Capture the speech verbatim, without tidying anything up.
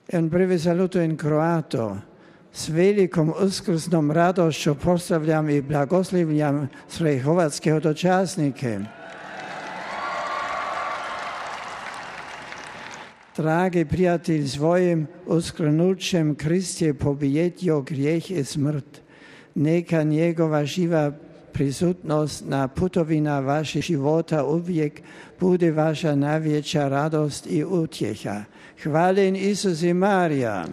En prvi salutujem Kroato. S velikom uskrsnom radošću pozdravljam i blagoslivljam sve hrvatske dočasnike. Dragi prijatelj, svojim uskrenućem Krist je pobijedio grijeh i smrt. Neka njegova živa prisutnost na putovina vašeg života uvijek bude vaša najveća radost i utjeha. Hvaljen Isus i Marija.